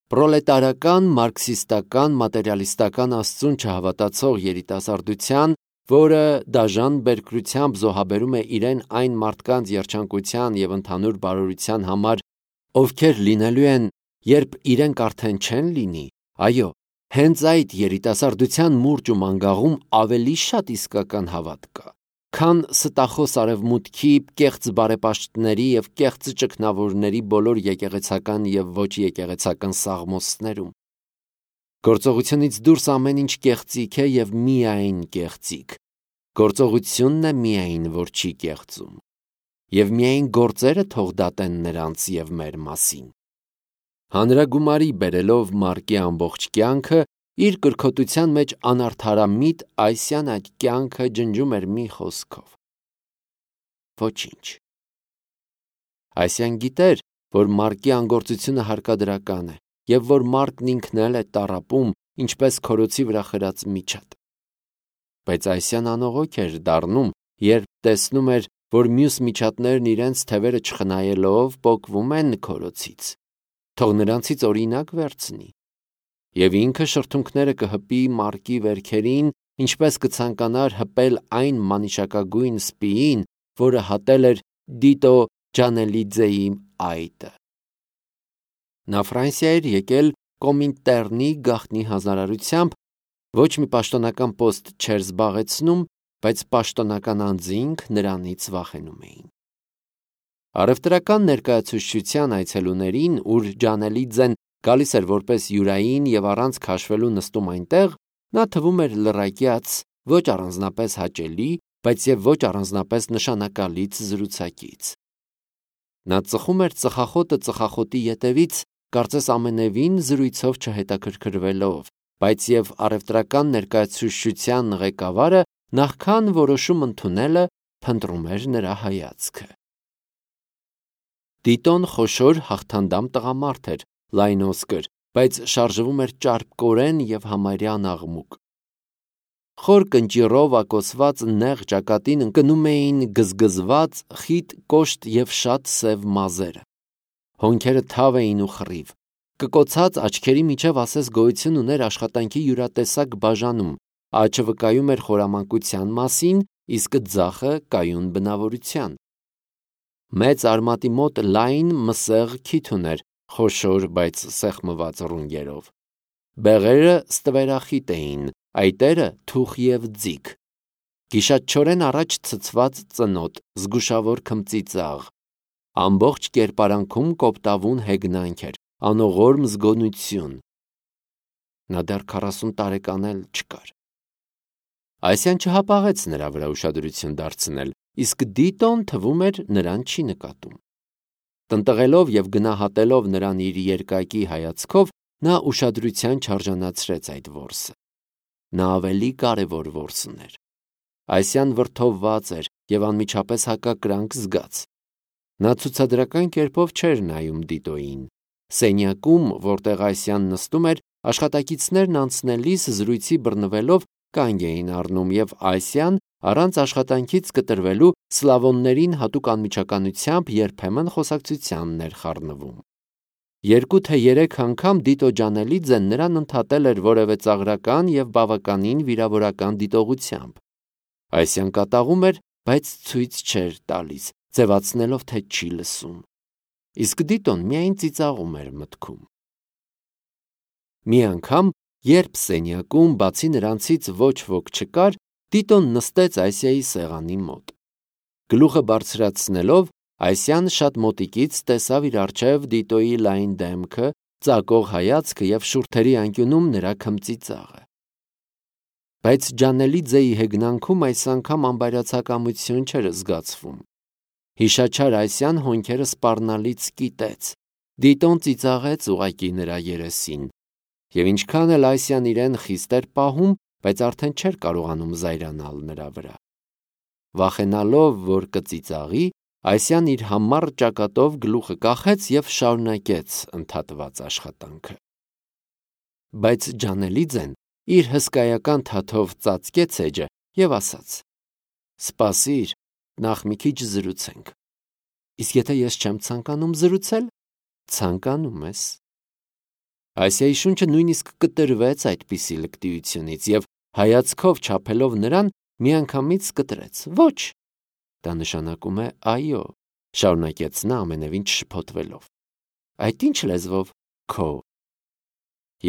պրոլետարական, մարքսիստական, մատերիալիստական աստծուն չհավատացող երիտասարդության, որը դաժան բերկրությամբ զոհաբերում է իրեն այն մարդկանց երջանկության և ընդհանուր բարօրության համար, ովքեր լինելու են, երբ իրենք արդեն չեն լինի, այո, հենց այդ երիտասարդության մուրճ ու մանգաղում ավելի շատ իսկական հավատ կա, քան ստախոս արևմուտքի, կեղծ բարեպաշտների և կեղծ ճգնավորների բոլոր եկեղեցական և ոչ եկեղեցական սաղմոսներում։ Գործողությունից դուրս ամեն ինչ կեղծիք է և միայն կեղծիք։ Գործողությունն է միայն, որ չի կեղծում։ Եվ միայն գործերը թող դատեն նրանց և մեր մասին։ Հանրագումարի բերելով Մարկի ամբողջ կյանքը, իր կրքոտության մեջ անարդարամիտ Այսյան այդ կյանքը ջնջում էր մի խոսքով. ոչինչ։ Այսյան գիտեր, որ Մարկի անգործությունը հարկադրական է, և որ Մարկն ինքն էլ է տառապում, ինչպես քորոցի վրա խրած միջատ։ Բայց Այսյան անողոք էր դառնում, երբ տեսնում էր, որ մյուս միջատներն իրենց թևերը չխնայելով պոկվում են քորոցից, թող նրանցից օրինակ վերցնի, և ինքը շրթունքները կհպի Մարկի վերքերին, ինչպես կցանկանար հպել այն մանիշակագույն սպիին, որը հատել էր Դիտո Ջանելիձեի այտը։ Նա Ֆրանսիա էր եկել Կոմինտեռնի գաղտնի հանձնարարությամբ, ոչ մի պաշտոնական պոստ չէր զբաղեցնում, բայց պաշտոնական անձինք նրանից վախենում էին։ Առևտրական ներկայացուցչության այցելուներին, ուր Ջանելիձեն գալիս էր որպես յուրային և առանց քաշվելու նստում այնտեղ, նա թվում էր լռակյաց, ոչ առանձնապես հաճելի, բայց և ոչ առանձնապես նշանակալից զրուցակից։ Նա ծխում էր ծխախոտը ծխախոտի ետևից, կարծես ամենևին զրույցով չհետաքրքրվելով, բայց և առևտրական ներկայացուցչության ղեկավարը նախքան որոշում ընդունելը փնտրում էր նրա հայացքը։ Դիտոն խոշոր հաղթանդամ տղամարդ էր, լայնոսկր, բայց շարժվում էր ճարպկորեն և համարյա աղմուկ։ Խոր կնճիռով ակոսված նեղ ճակատին ընկնում էին գզգզված, խիտ կոշտ և շատ սև մազերը։ Հոնքերը թավ էին ու խռիվ։ Կկոցած աչքերի միջև ասես գոյություն ուներ աշխատանքի յուրատեսակ բաժանում, աչը վկայում էր խորամանկության մասին, իսկ ձախը կայուն բնավորության։ Մեծ արմատի մոտ լայն մսեղ քիթ ուներ, խոշոր, բայց սեղմված ռունգերով։ Բեղերը ստվերախիտ էին, այտերը թուխ և ձիգ։ Գիշատչորեն առաջ ցցված ծնոտ, զգուշավոր քմծիծաղ։ Ամբողջ կերպարանքում կոպտավուն հեգնանք էր, անողորմ զգոնություն։ Նա դեռ 40 տարեկան էլ չկար։ Այսյան չհապաղեց նրա վրա ուշադրություն դարձնել, իսկ Դիտոն թվում էր նրան չի նկատում։ Տնտղելով և գնահատելով նրան իր երկակի հայացքով, նա ուշադրության չարժանացրեց այդ որսը։ Նա ավելի կարևոր որս ուներ։ Այսյան վրդովված էր և անմիջապես հակակրանք զգաց։ Նա ցուցադրական կերպով չէր նայում Դիտոյին։ Սենյակում, որտեղ Այսյան նստում էր, աշխատակիցներն անցնելիս զրույցի բռնվելով կանգ էին առնում, և Այսյան առանց աշխատանքից կտրվելու սլավոններին հատուկ անմիջականությամբ երբեմն խոսակցությանն էր խառնվում։ 2 թե 3 անգամ Դիտո Ջանելիձեն նրան ընդհատել էր որևէ ծաղրական և բավականին վիրավորական դիտողությամբ։ Այսյան կատաղում էր, բայց ցույց չէր տալիս, ձևացնելով, թե չի լսում։ Իսկ Դիտոն միայն ծիծաղում էր մտքում։ Մի անգամ, երբ սենյակում բացի նրանցից ոչ ոք չկար, Դիտոն նստեց Այսիայի սեղանի մոտ։ Գլուխը բարձրացնելով, Այսյան շատ մոտիկից տեսավ իր առջև Դիտոյի լայն դեմքը, ծակող հայացքը և շուրթերի անկյունում նրա քմծիծաղը։ Բայց Ջանելիձեի հեգնանքում այս անգամ անբարյացակամություն չէր զգացվում։ Հիշաչար Այսյան հոնքերը սպառնալից կիտեց։ Դիտոն ծիծաղեց ուղղակի նրա երեսին։ Եվ ինչքան էլ Այսյան իրեն խիստ էր պահում, բայց արդեն չէր կարողանում զայրանալ նրա վրա։ Վախենալով, որ կծիծաղի, Այսյան իր համառ ճակատով գլուխը կախեց և շարունակեց ընդհատված աշխատանքը։ Բայց Ջանելիձեն իր հսկայական թաթով ծածկեց էջը և ասաց. «Սպասիր, նախ մի քիչ զրուցենք»։ Իսկ եթե ես չեմ ցանկանում զրուցել, ցանկանում ես։ Ասիայի շունչը նույնիսկ կտրվեց այդպիսի լկտիությունից և հայացքով չափելով նրան միանգամից կտրեց. «Ոչ»։ Դա նշանակում է այո, շարունակեց նա ամենևին չշփոթվելով։ Այդ ինչ լեզվով? Քո։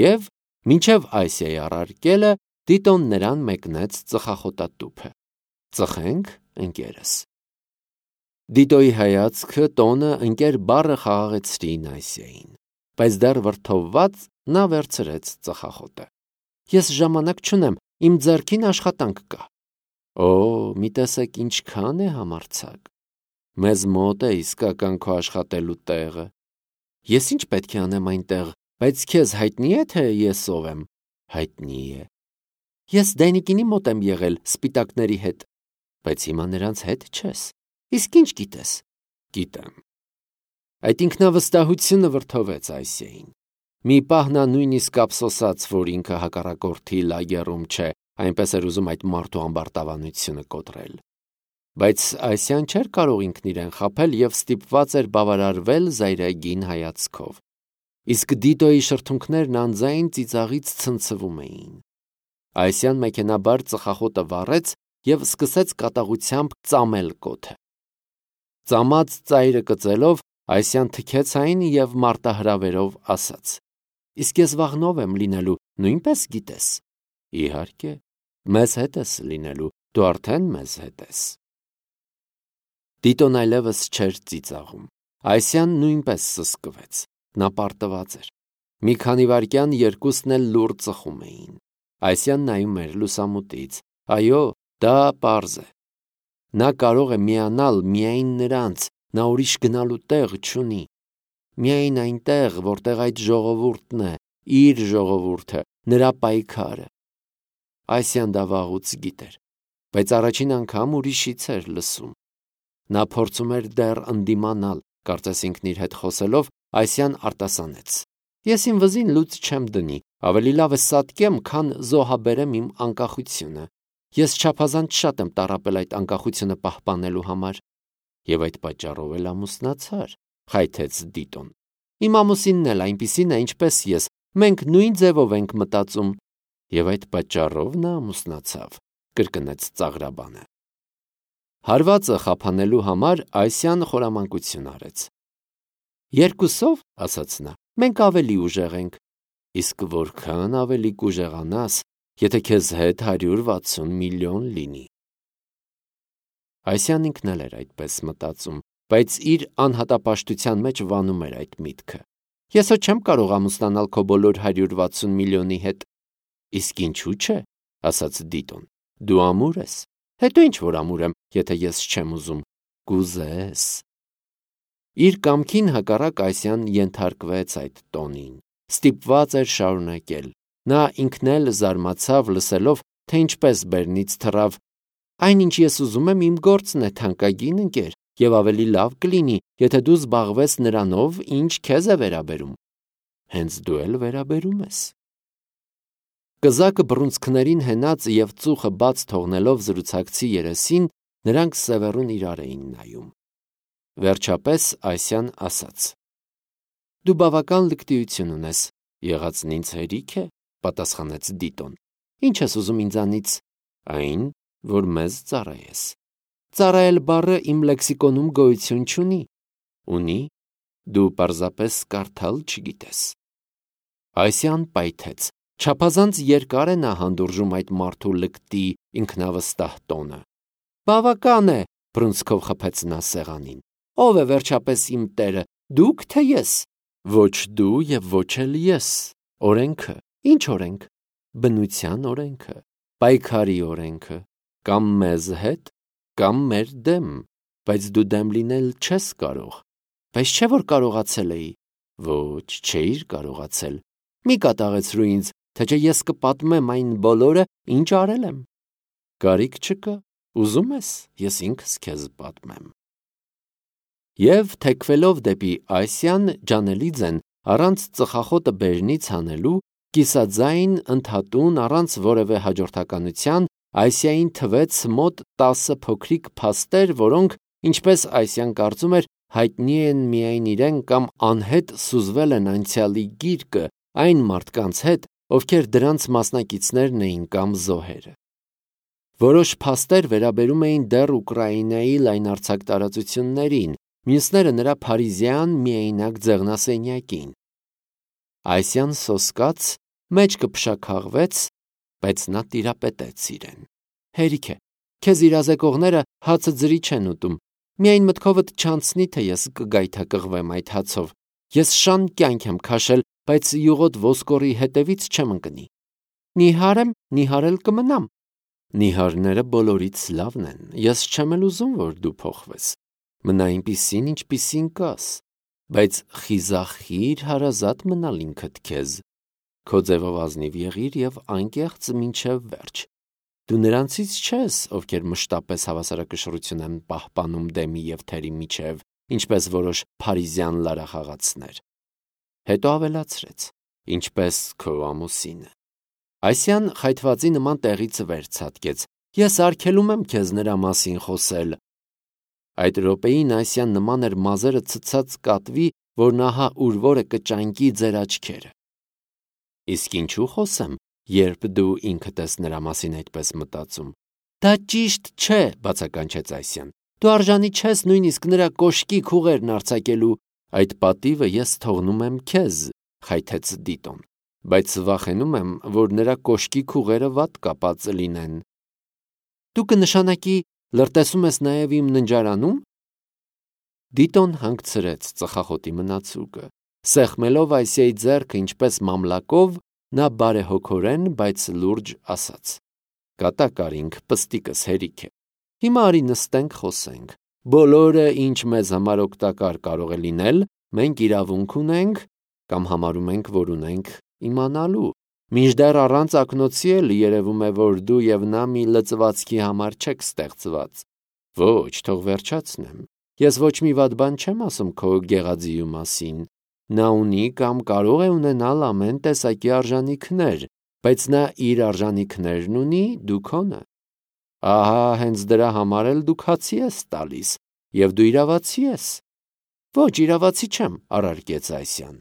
Եվ մինչև Ասիայի առարկելը Տիտոն նրան մեկնեց ծխախոտատուփը։ Ծխենք, ընկերս։ Դիտոյի հայացքը տոնը ընկեր բառը խաղաղեցրին Ասիային, բայց դեռ վրդովված նա վերցրեց ծխախոտը։ Ես ժամանակ չունեմ, իմ ձեռքին աշխատանք կա։ Օ, մի տեսեք ինչքան է համարձակ։ Մեզ մոտ է իսկական քո աշխատելու տեղը։ Ես ինչ պետք է անեմ այնտեղ, բայց քեզ հայտնի է, թե ես ով եմ։ Հայտնի է։ Ես Դայնիկինի մոտ եմ եղել սպիտակների հետ, բայց հիմա նրանց հետ չես։ Իսկ ինչ գիտես։ Գիտեմ։ Այդ ինքնավստահությունը վրդովեց Ասիային։ Մի պահ նա նույնիսկ ափսոսաց, որ ինքը հակառակորդի լագեռում չէ, այնպես էր ուզում այդ մարդու ամբարտավանությունը կոտրել։ Բայց Ասիան չէր կարող ինքն իրեն խաբել և ստիպված էր բավարարվել զայրագին հայացքով։ Իսկ Դիտոյի շրթունքներն անձայն ծիծաղից ցնցվում էին։ Ասիան մեքենաբար ծխախոտը վառեց և սկսեց կատաղությամբ ծամել կոթը։ Ծամած ծայրը կծելով Ասիան թքեց այն և մարտահրավերով ասաց. Իսկ ես վաղն ով եմ լինելու, նույնպես գիտես։ Իհարկե, մեզ հետ ես լինելու, դու արդեն մեզ հետ ես։ Տիտոն այլևս չէր ծիծաղում։ Ասիան նույնպես սսկվեց։ Նա պարտված էր։ Մի քանի վայրկյան երկուսն էլ լուռ ծխում էին։ Ասիան նայում էր լուսամուտից։ Այո, դա պարզ է։ Նա կարող է միանալ միայն նրանց, նա ուրիշ գնալու տեղ չունի։ Միայն այնտեղ, որտեղ այդ ժողովուրդն է, իր ժողովուրդը, նրա պայքարը։ Ասիան դա վաղուց գիտեր, բայց առաջին անգամ ուրիշից էր լսում։ Նա փորձում էր դեռ ընդդիմանալ, կարծես ինքն իր հետ խոսելով, Ասիան արտասանեց. Ես իմ վզին լուծ չեմ դնի, ավելի լավ է սատկեմ, քան զոհաբերեմ իմ անկախությունը։ Ես չափազանց շատ եմ տառապել այդ անկախությունը պահպանելու համար։ Եվ այդ պատճառով էլ ամուսնացար, խայթեց Դիտոն։ Իմ ամուսինն էլ այնպիսին է, ինչպես ես, մենք նույն ձևով ենք մտածում։ Եվ այդ պատճառով նա ամուսնացավ, կրկնեց ծաղրաբանը։ Հարվածը խափանելու համար Ասիան խորամանկություն արեց։ Երկուսով, ասաց նա, մենք ավելի ուժեղ ենք։ Իսկ որքան ավելի կուժեղանաս, եթե քեզ հետ 160 միլիոն լինի։ Ասիան ինքն էլ էր այդպես մտածում, բայց իր անհատապաշտության մեջ վանում էր այդ միտքը։ Ես հո չեմ կարող ամուսնանալ քո բոլոր 160 միլիոնի հետ։ Իսկ ինչու՞ չէ, ասաց Դիտոն։ Դու ամուր ես։ Հետո ինչ որ ամուր եմ, եթե ես չեմ ուզում։ Կուզես։ Իր կամքին հակառակ Ասիան ենթարկվեց այդ տոնին։ Ստիպված էր շարունակել։ Նա ինքն էլ զարմացավ լսելով, թե ինչպես բերնից թռավ. Այն, ինչ ես ուզում եմ, իմ գործն է, թանկագին ընկեր, և ավելի լավ կլինի, եթե դու զբաղվես նրանով, ինչ քեզ է վերաբերում։ Հենց դու էլ վերաբերում ես։ Կզակը բռունցքներին հենած և ծուխը բաց թողնելով զրուցակցի երեսին, նրանք սևեռուն իրար էին նայում։ Վերջապես Ասիան ասաց. Դու բավական լկտիություն ունես, եղածն ինձ հերիք է, պատասխանեց Դիտոն։ Ինչ ես ուզում ինձանից։ Այն, որ մեզ ծառայես։ Ծառայել բառը իմ լեքսիկոնում գոյություն չունի։ Ունի, դու պարզապես կարդալ չգիտես։ Ասիան պայթեց։ Չափազանց երկար է նա հանդուրժում այդ մարդու լկտի ինքնավստահ տոնը։ Բավական է, բռունցքով խփեց նա սեղանին։ Ո՞վ է վերջապես իմ տերը, դուք թե ես։ Ոչ դու և ոչ էլ ես։ Օրենքը։ Ինչ օրենք։ Բնության օրենքը, պայքարի օրենքը, կամ մեզ հետ, կամ մեր դեմ, բայց դու դեմ լինել չես կարող։ Բայց չէ որ կարողացել էի։ Ոչ, չէիր կարողացել։ Մի կատաղեցրու ինձ, թե չէ ես կպատմեմ այն բոլորը, ինչ արել եմ։ Կարիք չկա, ուզում ես, ես ինքս քեզ պատմեմ։ Եվ թեքվելով դեպի Ասիան, ջանելիձեն առանց ծխախոտը բերնից հանելու, կիսաձայն ընդհատուն առանց որևէ հաջորդականության Ասիային թվեց մոտ 10 փոքրիկ փաստեր, որոնք, ինչպես Ասիան կարծում էր, հայտնի են միայն իրեն կամ անհետ սուզվել են անցյալի գիրկը, այն մարդկանց հետ, ովքեր դրանց մասնակիցներն էին կամ զոհերը։ Որոշ փաստեր վերաբերում էին դեռ Ուկրաինայի լայնարձակ տարածություններին, մյուսները նրա փարիզյան միայնակ ձեղնասենյակին։ Այսյան սոսկաց, մեջքը փշաքաղվեց, բայց նա տիրապետեց իրեն։ Հերիք է, քեզ իրազեկողները հացը ջրի չեն ուտում, միայն մտքովդ չանցնի, թե ես կգայթակղվեմ այդ հացով։ Ես շան կյանք եմ քաշել, բայց յուղոտ ոսկորի հետևից չեմ ընկնի։ Նիհար եմ, նիհարել կմնամ։ Նիհարները բոլորից լավն են, ես չեմ էլ ուզում, որ դու փոխվես։ Մնա այնպիսին, ինչպիսին կաս, բայց խիզախիր հարազատ մնալ ինքդ քեզ։ Քո ձևով ազնիվ եղիր եւ անկեղծ մինչեւ վերջ։ Դու նրանցից չես, ովքեր մշտապես հավասարակշռություն են պահպանում դեմի եւ թերի միջև, ինչպես որոշ փարիզյան լարախաղացներ։ Հետո ավելացրեց. ինչպես քո ամուսինը։ Այսյան խայթվածի նման տեղից վեր ցատկեց. ես արգելում եմ քեզ նրա մասին խոսել։ Այդ րոպեին Այսյան նման էր մազերը ցցած կատվի, որ նահա ուրվորը կճանկի ձեր աչքերը։ Իսկ ինչու խոսեմ, երբ դու ինքդ ես նրա մասին այդպես մտածում։ Դա ճիշտ չէ, բացականչեց Այսյան։ Դու արժանի չես նույնիսկ նրա կոշկի քուղերն արձակելու։ Այդ պատիվը ես թողնում եմ քեզ, խայթեց Դիտոն, բայց վախենում եմ, որ նրա կոշկի քուղերը վատ կապած լինեն։ Դու կնշանակի լրտեսում ես նաև իմ ննջարանում։ Դիտոն հանգցրեց ծխախոտի մնացուկը, սեղմելով Այսիայի ձեռքը ինչպես մամլակով, նա բարեհոգորեն, բայց լուրջ ասաց. կատակարինք պստիկս հերիք է։ Հիմա արի նստենք խոսենք։ Բոլորը, ինչ մեզ համար օգտակար կարող է լինել, մենք իրավունք ունենք կամ համարում ենք, որ ունենք իմանալու։ Մինչդեռ առանց ակնոցի էլ երևում է, որ դու եւ նա մի լծվածքի համար չեք ստեղծված։ Ոչ, թող վերջացնեմ։ Ես ոչ մի վատ բան չեմ ասում քո գեղաձիու մասին։ Նա ունի կամ կարող է ունենալ ամեն տեսակի արժանինքներ, բայց նա իր արժանինքներն ունի, դու քոնը։ Ահա հենց դրա համար էլ դու քացի ես տալիս, եւ դու իրավացի ես։ Ոչ, իրավացի չեմ, առարկեց Այսյան։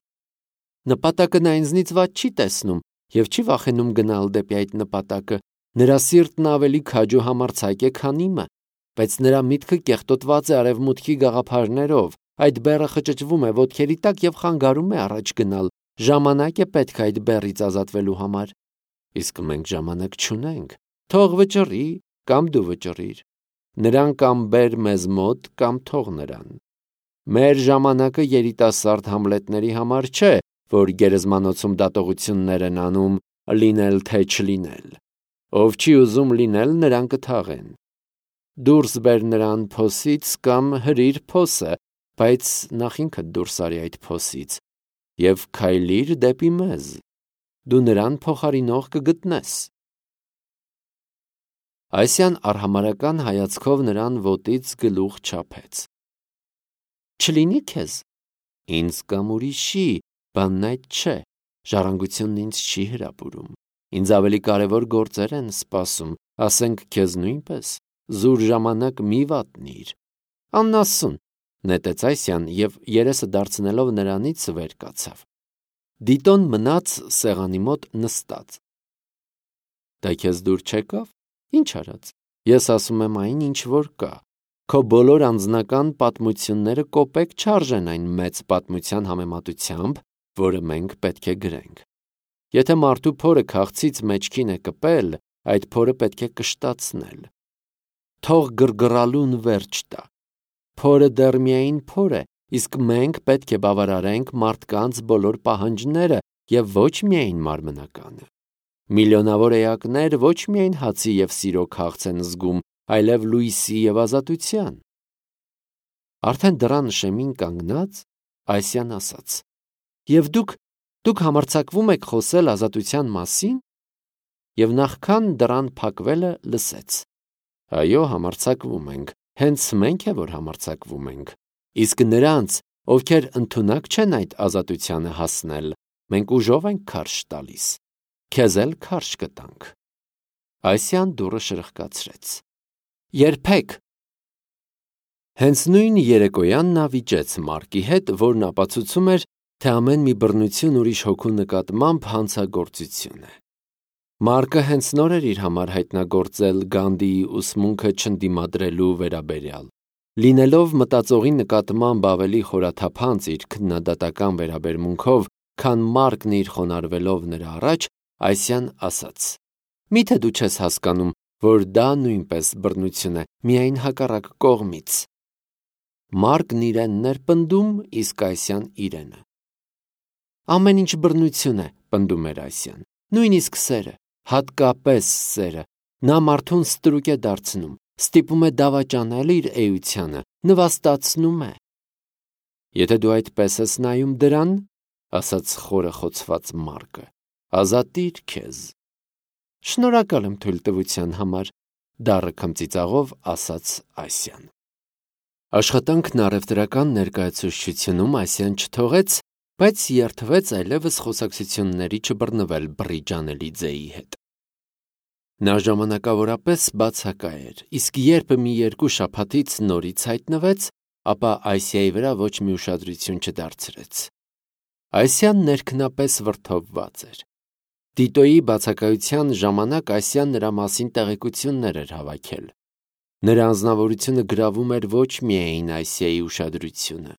Նպատակը նա ինձնից ված չի տեսնում եւ չի վախենում գնալ դեպի այդ նպատակը։ Նրա սիրտն ավելի քաջու համարձակ է, քան իմը, բայց նրա միտքը կեղտոտված է արևմուտքի գաղափարներով։ Այդ բեռը խճճվում է ոտքերի տակ եւ խանգարում է առաջ գնալ։ Ժամանակ է պետք այդ բեռից ազատվելու համար։ Իսկ մենք ժամանակ չունենք։ Թող վճռի, կամ դու վճռիր։ Նրան կամ բեր մեզ մոտ, կամ թող նրան։ Մեր ժամանակը երիտասարդ Համլետների համար չէ, որ գերեզմանոցում դատողություններ են անում լինել թե չլինել։ Ով չի ուզում լինել, նրան կթաղեն։ Դուրս բեր նրան փոսից կամ հրիր փոսը, բայց նախ ինքդ դուրս արի այդ փոսից եւ քայլիր դեպի մեզ։ Դու նրան փոխարինող կգտնես։ Այսյան արհամարական հայացքով նրան ոտից գլուխ չափեց։ Չլինի քեզ։ Ինձ կամ ուրիշի, բանն այդ չէ։ Ժառանգությունն ինձ չի հրապուրում։ Ինձ ավելի կարևոր գործեր են սպասում, ասենք քեզ նույնպես։ Զուր ժամանակ մի վատնիր։ Աննասուն, նետեց Այսյան եւ երեսը դարձնելով նրանից վեր կացավ։ Դիտոն մնաց սեղանի մոտ նստած։ Դա քեզ դուր չեկավ։ Ինչ արած։ Ես ասում եմ այն, ինչ որ կա։ Քո բոլոր անձնական պատմությունները կոպեկ չարժեն այն մեծ պատմության համեմատությամբ, որը մենք պետք է գրենք։ Եթե մարդու փորը քաղցից մեջքին է կպել, այդ փորը պետք է կշտացնել։ Թող գրգռալուն վերջ տա։ Փորը դեռ միայն փոր է, իսկ մենք պետք է բավարարենք մարդկանց բոլոր պահանջները եւ ոչ միայն մարմնականը։ Միլիոնավոր էակներ ոչ միայն հացի եւ սիրո քաղց են զգում, այլև լույսի եւ ազատության։ Արդեն դռան շեմին կանգնած, Այսյան ասաց. Եվ դուք համարձակվում եք խոսել ազատության մասին։ Եվ նախքան դռան փակվելը լսեց. Այո, համարձակվում ենք, հենց մենք է որ համարձակվում ենք։ Իսկ նրանց, ովքեր ընդունակ չեն այդ ազատությանը հասնել, մենք ուժով ենք քարշ տալիս։ Քեզ էլ քարշ կտանք։ Այսյան դուռը շրխկացրեց։ Երբեք։ Հենց նույն երեկոյան նա վիճեց Մարկի հետ, որն ապացուցում էր, թե ամեն մի բռնություն ուրիշ հոգու նկատմամբ հանցագործություն է։ Մարկը հենց նոր էր իր համար հայտնագործել Գանդիի ուսմունքը չընդդիմադրելու վերաբերյալ։ Լինելով մտածողի նկատմամբ ավելի խորաթափանց իր քննադատական վերաբերմունքով, քան Մարկն իր խոնարհվելով նրա առաջ, Այսիան ասաց. «Միթե դու չես հասկանում, որ դա նույնպես բռնություն է, միայն հակառակ կողմից»։ Մարկն իրենն էր պնդում, իսկ Այսիան իրենը։ «Ամեն ինչ բռնություն է», պնդում էր Այսիան, նույնիսկ սերը, հատկապես սերը, նա մարդուն ստրուկ է դարձնում, ստիպում է դավաճանել իր էությանը, նվաստացնում է։ «Եթե դու այդպես ես նայում դրան, ասաց խորը խոցված Մարկը, ազատիր քեզ»։ «Շնորհակալ եմ թույլտվության համար», դառը քմծիծաղով ասաց Այսիան։ Աշխատանքն առևտրական ներկայացուցչությունում Այսիան չթողեց, բայց երդվեց այլևս խոսակցությունների չբռնվել բռի Ջանելիձեի հետ։ Նա ժամանակավորապես բացակա էր, իսկ երբ մի երկու շաբաթից նորից հայտնվեց, ապա Այսիայի վրա ոչ մի ուշադրություն չդարձրեց։ Այսիան ներքնապես վրդովված էր։ Տիտոյի բացակայության ժամանակ Այսիան նրա մասին տեղեկություններ էր հավաքել։ Նրա անձնավորությունը գրավում էր ոչ միայն Այսիայի ուշադրությունը։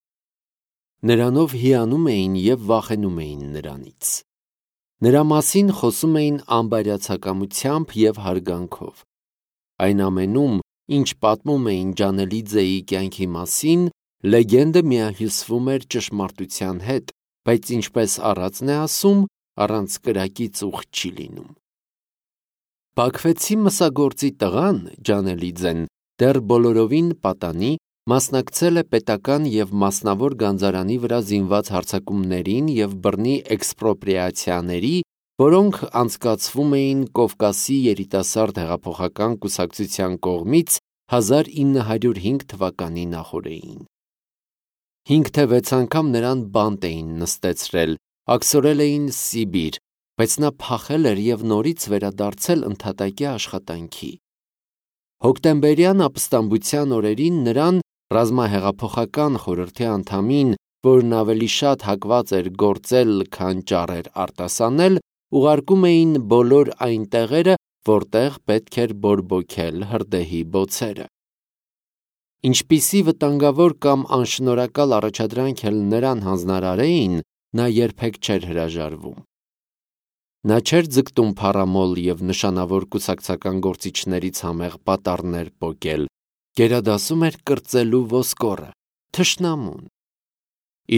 Նրանով հիանում էին և վախենում էին նրանից։ Նրա մասին խոսում էին անբարյացակամությամբ և հարգանքով։ Այն ամենում, ինչ պատմում էին Ջանելիձեի կյանքի մասին, լեգենդը միահյուսվում էր ճշմարտության հետ, բայց ինչպես առածն է ասում, առանց կրակի ծուխ չի լինում։ Բաքվեցի մսագործի տղան, Ջանելիձեն, դեռ բոլորովին պատանի, մասնակցել է պետական և մասնավոր գանձարանի վրա զինված հարձակումներին և բռնի էքսպրոպրիացիաների, որոնք անցկացվում էին Կովկասի երիտասարդ հեղափոխական կուսակցության կողմից 1905 թվականի նախօրեին։ 5 թե 6 անգամ նրան բանտ էին նստեցրել, աքսորել էին Սիբիր, բայց նա փախել էր և նորից վերադարձել ընդհատակյա աշխատանքի։ Հոկտեմբերյան ապստամբության օրերին նրան, ռազմահեղափոխական խորհրդի անդամին, որն ավելի շատ հակված էր գործել, քան ճառեր արտասանել, ուղարկում էին բոլոր այն տեղերը, որտեղ պետք էր բորբոքել հրդեհի բոցերը։ Ինչպիսի վտանգավոր կամ անշնորհակալ առաջադրանք էլ նրան հանձնարարեին, նա երբեք չէր հրաժարվում։ Նա չէր ձգտում փառամոլ և նշանավոր կուսակցական գործիչներից համեղ պատառներ պոկել, գերադասում էր կրծելու ոսկորը, թշնամուն։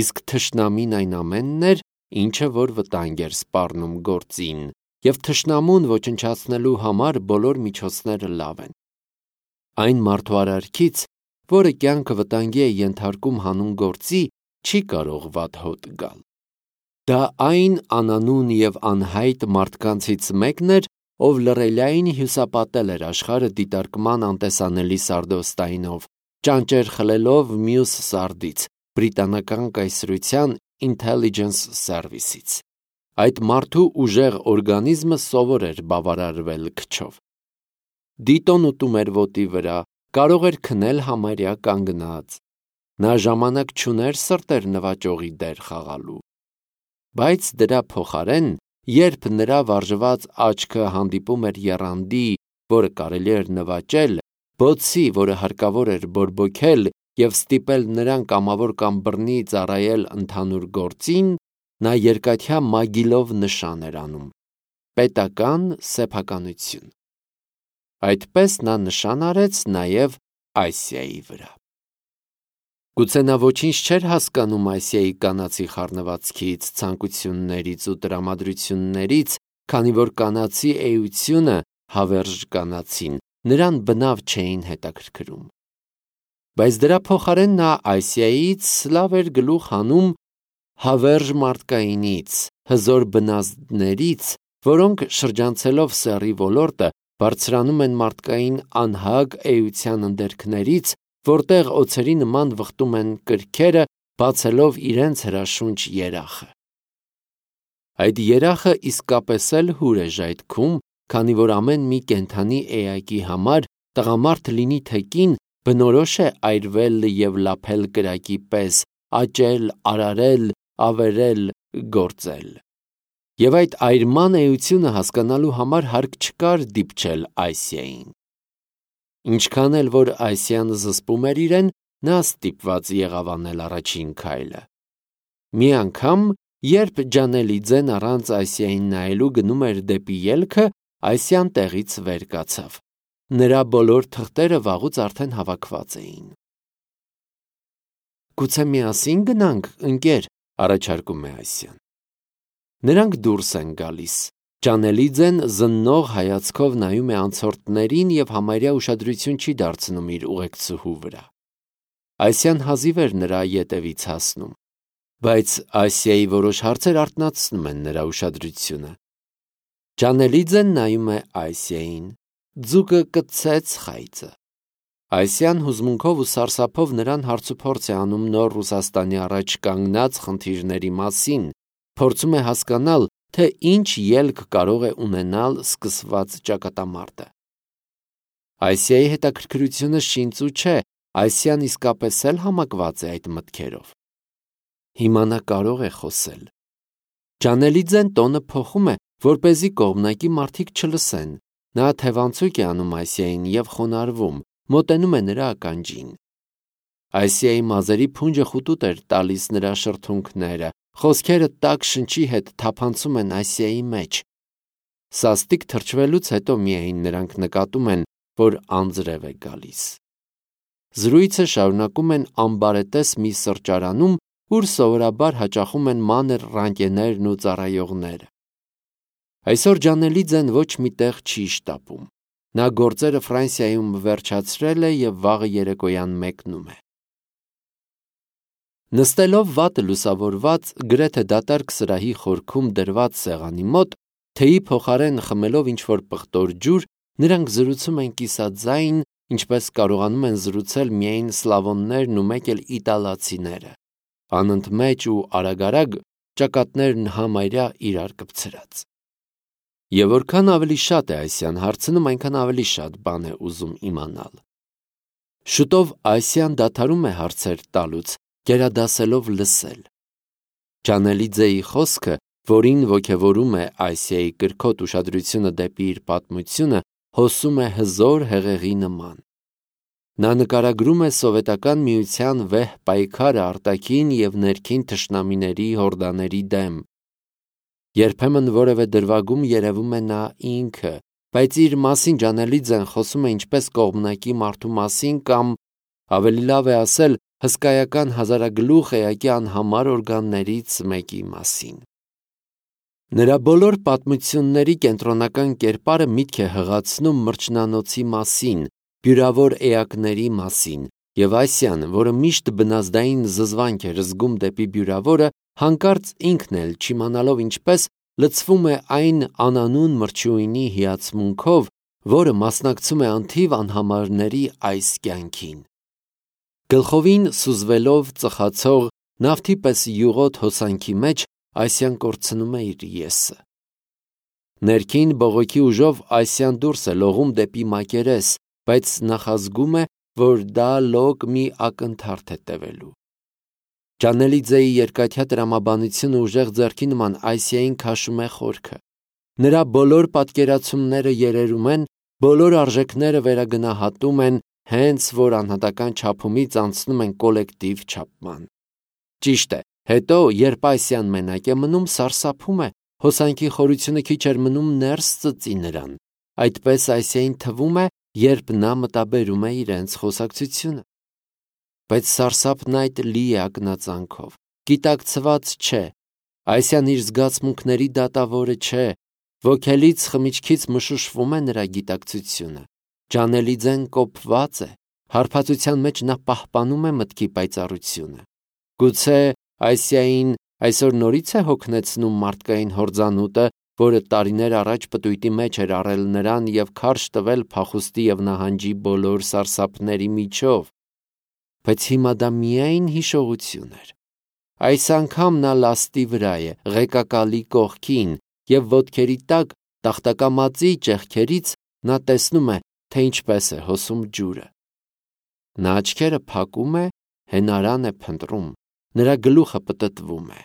Իսկ թշնամին այն ամենն էր, ինչը որ վտանգ էր սպառնում գործին, և թշնամուն ոչնչացնելու համար բոլոր միջոցները լավ են։ Այն մարդու արարքից, որը կյանքը վտանգի է ենթարկում հանուն գործի, չի կարող վատ հոտ գալ։ Դա այն անանուն և անհայտ մարդկանցից մեկն էր, ով լռելային հյուսապատել էր աշխարհը դիտարկման անտեսանելի սարդոստայնով, ճանճեր խլելով մյուս սարդից, բրիտանական կայսրության Intelligence Service-ից։ Այդ մարդու ուժեղ օրգանիզմը սովոր էր բավարարվել քչով։ Դիտոն ուտում էր ոտի վրա, կարող էր քնել համարյա կանգնած։ Նա ժամանակ չուներ սրտեր նվաճողի դեր խաղալու։ Բայց դրա փոխարեն, երբ նրա վարժված աչքը հանդիպում էր եռանդի, որը կարելի էր նվաճել, բոցի, որը հարկավոր էր բորբոքել և ստիպել նրան կամավոր կամ բռնի ծառայել ընդհանուր գործին, նա երկաթյա մագիլով նշան էր անում. պետական սեփականություն։ Այդպես նա նշան արեց նաև Այսիայի վրա։ Գուցե նա ոչինչ չէր հասկանում Այսիայի կանացի խառնվածքից, ցանկություններից ու տրամադրություններից, քանի որ կանացի էությունը, հավերժ կանացին, նրան բնավ չէին հետաքրքրում։ Բայց դրա փոխարեն նա Այսիայից լավ էր գլուխ հանում հավերժ մարդկայինից, հզոր բնազդներից, որոնք շրջանցելով սեռի ոլորտը, բարձրանում են մարդկային անհագ էության ընդերքներից, որտեղ օձերի նման վխտում են կրքերը, բացելով իրենց հրաշունչ երախը։ Այդ երախը իսկապես էլ հուր է ժայթքում, քանի որ ամեն մի կենդանի էակի համար, տղամարդ լինի թե կին, բնորոշ է այրվել և լափել կրակի պես, աճել, արարել, ավերել, գործել։ Եվ այդ այրման էությունը հասկանալու համար հարկ չկար դիպչել Այսիային։ Ինչքան էլ որ Այսիան զսպում էր իրեն, նա ստիպված եղավ անել առաջին քայլը։ Մի անգամ, երբ Ջանելիձեն առանց Այսիային նայելու գնում էր դեպի ելքը, Այսիան տեղից վեր կացավ։ Նրա բոլոր թղթերը վաղուց արդեն հավաքված էին։ Գուցե միասին գնանք, ընկեր, առաջարկում է Այսիան։ Նրանք դուրս են գալիս։ Ջանելիձեն զննող հայացքով նայում է անցորդներին և համարյա ուշադրություն չի դարձնում իր ուղեկցուհու վրա։ Այսիան հազիվ էր նրա ետևից հասնում, բայց Այսիայի որոշ հարցեր արթնացնում են նրա ուշադրությունը։ Ջանելիձեն նայում է Այսիային, ձուկը կծեց խայծը։ Այսիան հուզմունքով ու սարսափով նրան հարցուփորձ է անում նոր Ռուսաստանի առաջ կանգնած խնդիրների մասին, փորձում է հասկանալ, թե ինչ ելք կարող է ունենալ սկսված ճակատամարտը։ Այսիայի հետաքրքրությունը շինծու չէ, Այսիան իսկապես էլ համակված է այդ մտքերով։ Հիմա նա կարող է խոսել։ Ջանելիձեն տոնը փոխում է, որպեսզի կողմնակի մարդիկ չլսեն։ Նա թևանցուկ է անում Այսիային և խոնարհվում, մոտենում է նրա ականջին։ Այսիայի մազերի փունջը խուտուտ էր տալիս նրա շրթունքները, խոսքերը տաք շնչի հետ թափանցում են Այսիայի մեջ։ Սաստիկ թրջվելուց հետո միայն նրանք նկատում են, որ անձրև է գալիս։ Զրույցը շարունակում են ամբարետես մի սրճարանում, ուր սովորաբար հաճախում են մանր ռանկեներն ու ծառայողները։ Այսօր Ջանելիձեն ոչ մի տեղ չի շտապում։ Նա գործերը Ֆրանսիայում վերջացրել է և վաղը երեկոյան մեկնում է։ Նստելով վատը լուսավորված, գրեթե դատարկ սրահի խորքում դրված սեղանի մոտ, թեյի փոխարեն խմելով ինչ-որ պղտոր ջուր, նրանք զրուցում են կիսաձայն, ինչպես կարողանում են զրուցել միայն սլավոններն ու մեկ էլ իտալացիները, անընդմեջ ու արագ-արագ, ճակատներն համարյա իրար կպցրած։ Եվ որքան ավելի շատ է Այսիան հարցնում, այնքան ավելի շատ բան է ուզում իմանալ։ Շուտով Այսիան դադարում է հարցեր տալուց, գերադասելով լսել։ Ջանելիձեի խոսքը, որին ոգևորում է Այսիայի կրքոտ ուշադրությունը դեպի իր պատմությունը, հոսում է հզոր հեղեղի նման։ Նա նկարագրում է Սովետական Միության վեհ պայքարը արտաքին և ներքին թշնամիների հորդաների դեմ։ Երբեմն որևէ դրվագում երևում է նա ինքը, բայց իր մասին Ջանելիձեն խոսում է ինչպես կողմնակի մարդու մասին կամ, ավելի լավ է ասել, հսկայական հազարագլուխ էակի անհամար օրգաններից մեկի մասին։ Նրա բոլոր պատմությունների կենտրոնական կերպարը միտք է հղացնում մրջնանոցի մասին, բյուրավոր էակների մասին, և Այսիան, որը միշտ բնազդային զզվանք էր զգում դեպի բյուրավորը, հանկարծ ինքն էլ չիմանալով ինչպես, լցվում է այն անանուն մրջույնի հիացմունքով, որը մասնակցում է անթիվ անհամարների այս կյանքին։ Գլխովին սուզվելով ծխացող նավթի պես յուղոտ հոսանքի մեջ Այսիան կորցնում է իր եսը։ Ներքին բողոքի ուժով Այսիան դուրս է լողում դեպի մակերես, բայց նախազգում է, որ դա լոկ մի ակնթարթ է տևելու։ Ջանելիձեի երկաթյա տրամաբանությունը ուժեղ ձեռքի նման Այսիային քաշում է խորքը։ Նրա բոլոր պատկերացումները երերում են, բոլոր արժեքները վերագնահատում են, հենց որ անհատական չափումից անցնում են կոլեկտիվ չափման։ Ճիշտ է, հետո, երբ Այսիան մենակ է մնում, սարսափում է, հոսանքի խորությունը քիչ էր մնում ներս ծծի նրան։ Այդպես Այսիային թվում է, երբ նա մտաբերում է իրենց խոսակցությունը։ Բայց սարսափն այդ լի է ակնածանքով, գիտակցված չէ, Այսիան իր զգացմունքների դատավորը չէ, ոգելից խմիչքից մշուշվում է նրա գիտակցությունը։ Ջանելիձեն կոփված է, հարբածության մեջ նա պահպանում է մտքի պայծառությունը։ Գուցե Այսիային այսօր նորից է հոգնեցնում մարդկային հորձանուտը, որը տարիներ առաջ պտույտի մեջ էր առել նրան և քարշ տվել փախուստի և նահանջի բոլոր սարսափների միջով։ Բայց հիմա դա միայն հիշողություն էր։ Այս անգամ նա լաստի վրա է, ղեկակալի կողքին, և ոտքերի տակ, տախտակամածի ճեղքերից նա տեսնում է, թե ինչպես է հոսում ջուրը։ Նա աչքերը փակում է, հենարան է փնտրում, նրա գլուխը պտտվում է։